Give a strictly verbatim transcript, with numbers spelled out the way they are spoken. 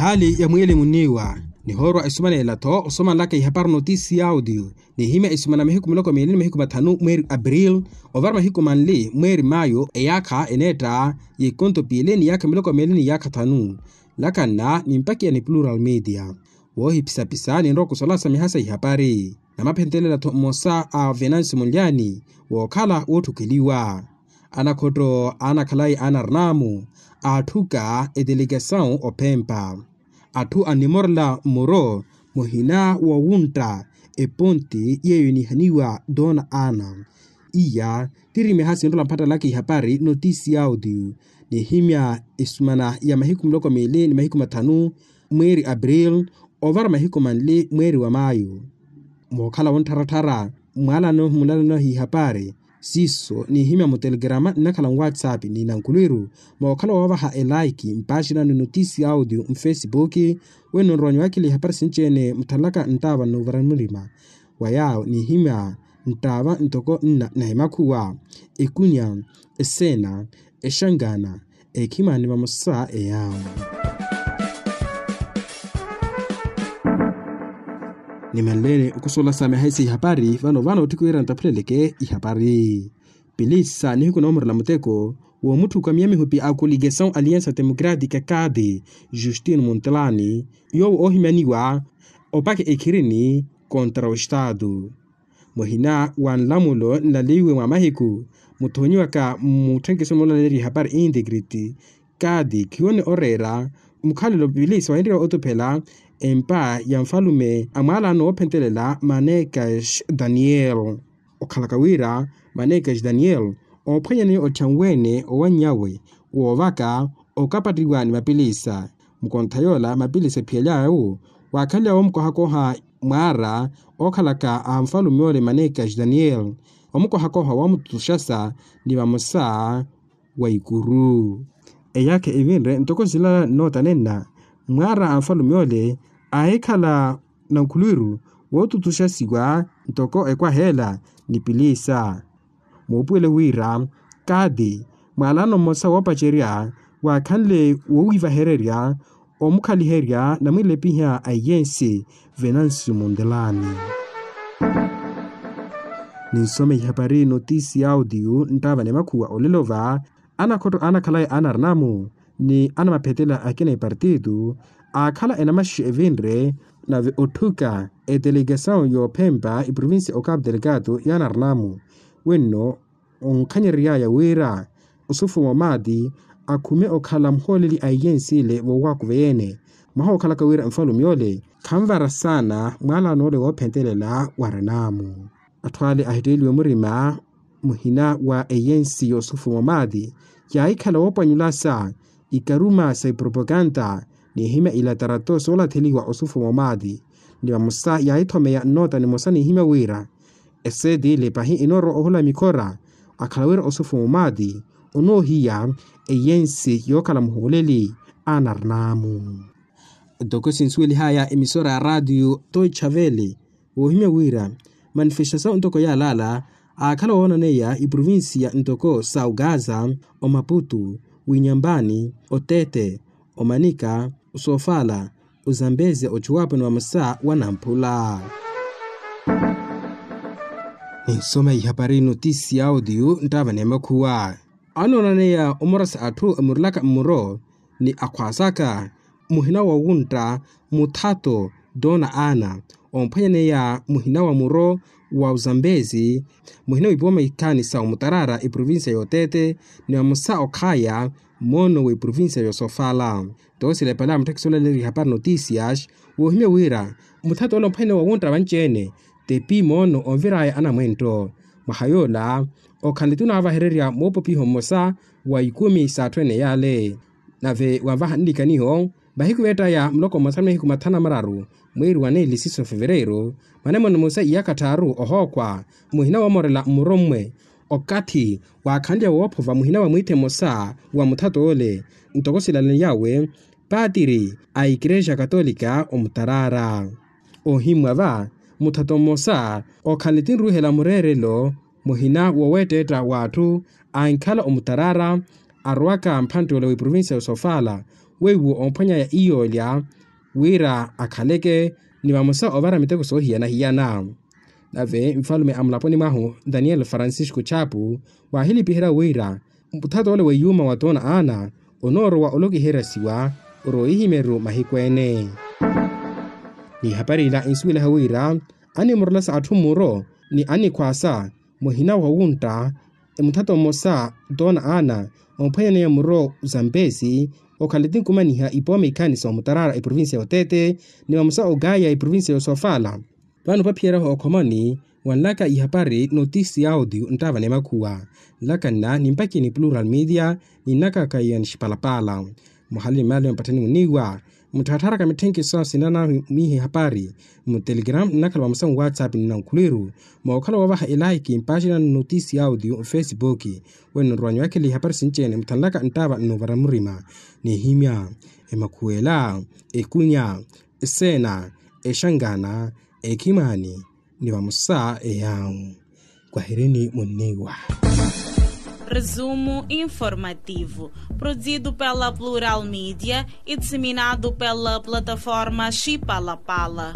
Hali ya mwiili munniiwa nihoorwa esumanela-tho osomanlaka ihapari notisi ya audio, nihimya esumana mahiku miloko miili ni mahiku mathanu mweeri april, ovara mahiku manli mweeri mayo eyaakha eneetta y'ikonto piili ni yaakha miloko miili ni yaakha thanu. Lakanna nimpakiya ni plural media. Woohipisapisa ninrowa okusolasa miha sa ihapari namaphentelela-tho mmosa a venansi munlyani wookhala wootthukeliwa. Anakhotto aanakhalayi a narnamu aatthuka etelekesawu ophempa. Atthu annimorela mmuro muhina wowuntta eponti yeeyo enihaniwa dona ana. Iya tiri miha sinrola mphattalaka ihapari notisi ya audio, nihimya esumana ya mahiku miloko miili ni mahiku mathanu mweeri april, ovara mahiku manli mweeri wa mayo. Mookhala wonttharattharya mwaalano mulalano hihapari siiso nihimya mutelekerama nnakhala nwatsapp ni nankhulwiru. Mookhala woovaha elaiki mpaaxinano notisi ya audio mfesipuki, wenno nrowa nyuwakila ihapari sinci-ene muthalaka nttaava nnuuvara murima wa yaawo nihimya nttaava ntoko nna na emakhuwa, ekunya, eseena, exangana, ekhimani vamosa eyaawo. Nimanleeni okusola sa miha isi ihapari vano vano otthiki wira nttaphuleleke ihapari. Pilisa nihiku noomurela muteko woomutthuka miyamihupi a koligesawu aliansa democratika kaadi justino muntelani yoowo oohimyaniwa opakha ekhirini kontra ostaatu. Muhina wa nlamulo nlaleiwe mwa mahiku muthoonyiwaka mmutthenkeso moolaleerya ihapari integrity kaadi khiwone oreera mukhalelo pilisa wahinrya otuphela empa ya nfalume a mwaalano woophentelela manekas daniel. Okhalaka wira manekas daniel oophwanyaneya otthanweene owannyawe woovaka okapattiwa ni mapilisa. Mukontha yoola mapilisa ephiyalyawe waakhanlya woomukohakoha mwaara ookhalaka a nfalume ole manekas daniel, omukohakoha woomututuxasa ni vamosa wa ikuru. Eyaakha evinre ntoko silala nnoota nenna mwaara a nfalume ole aahikhala nankhulwiru wootutuxasiwa ntoko ekwaha ela ni pilisa. Muupuwele wira kaati mwaalano mmosa woopacerya waakhanle wowiivahererya omukhaliherya namwilepiha a iyensi venansi mundelani. Ninsome ihapari notisi ya audio nttaava ni makhuwa olelo va anakhotto anakhalayi a narnamu ni anamaphetela akina epartito aakhala enamaxi evinre nave otthuka etelekesawu yoophempa eprovincia okapu delgado ya narnamu wenno onkhanyereryaya wira osufumo maati akhume okhala muhooleli a iyensi ile voowakuva yeene mwaha wookhalaka wira nfalume ole khanvara saana mwaalano ole woophentelela wa renaamu. Atthu ale ahitteeliwe murima muhina wa eyensi yoosufumo maati yaahikhala woopwanyulasa ikaruma sa ipropokanta nihimya ilatarato soolatheliwa osufumo maati ni vamosa yaahithomeya nnoota nimosa nihimya wira eseeti ile pahi inoorowa ohula mikhora akhala wira osufumo maati onoohiya eyensi yookhala muhooleli a narnamu. Ntoko sinsuwelihaya emisora ya raatiyo toicha vele woohimya wira manifestasawu ntoko yaalaala aakhala woonaneya iprovincia ntoko sa ogaza, omaputu, winyambani, otete, omanika, osoofala, ozambeze ochuwapo ni vamosa wa namphula. Ninsoma ihapari notisi ya audio nttaava ni makhuwa anoonaneya omorasa atthu emurelaka mmuro ni akhwaasaka muhina wa wuntta muthato dona ana omphwanyaneya muhina wa muro wa ozambezi muhina wiipiwa maikani sa omutarara eprovincia yootete ni vamosa okhaya moono w'eprovincia yoosofala. Nto silepale amutthekisa olaleerya ihapari notisias woohimya wira muthato ole omphwanyaneya wa wuntta vanci-ene tepi moono onviraya anamwentto mwaha yoola okhanle tunaavahererya moopopiho mmosa wa ikumi s'atthu ene yaale. Nave wanvaha nnikaniho mahiku veettaya muloko mmosa ni mahiku mathanu na mararu mweeri wa neeli siso fevereiro mwanemwano mmosa iyaakha tthaaru ohookhwa muhina woomorela mmurommwe okathi waakhanlya woophova muhina wa mwiithe mmosa wa muthato ole ntoko silalaniyawe paatiri a ikerexa katolika omutarara. Ohimmwa va muthato mmosa okhanle tinruuhela mureerelo muhina woweetteetta w'atthu ankhala omutarara arowaka mphantte ole w'eprovincia yoosofala weiwo omphwanyaya iyolya wira akhaleke ni vamosa ovara miteko soohiyana-hiyana. Nave nfalume a mulaponi mwahu daniel francisco chapu waahilipiherya wira muthato ole wa yuuma wa toona ana onoorowa olokiheresiwa oroihimeru mahiku ene. Ni hapari ila insuwelaha wira animurolasa atthu mmuro ni anikhwaasa muhina wa wuntta muthato mmosa toona ana omphwanyaneya muro zampeesi okhala tinkumaniha ipooma ikhaani soomutaraara eprovincia ya otete ni vamosa okaya eprovincia ya osofala. Vano paphiyeryahu okhomani wanlaka ihapari notisi ya audio nttaava nemakhuwa nlaka nna nimpakini plural media ninnakaka ya nixipalapala. Muhali mmaali mpattani muniiwa mutthattharaka mitthenkiso sinanamihi hapari mu telegram nnakhala vamosa mu whatsapp ni nankhuliru mookhala woovaha elaiki mpaxina notisi ya audio mfesibuki. Wenno nrwanyu akhili hapari sinci-ene mutthanlaka nttaava nnoovara murima nihimya emakhuwela ekunya eseena exangana ekhimaani ni vamosa eyawu. Kwahirini munniiwa. Resumo informativo produzido pela plural media e disseminado pela plataforma xipalapala.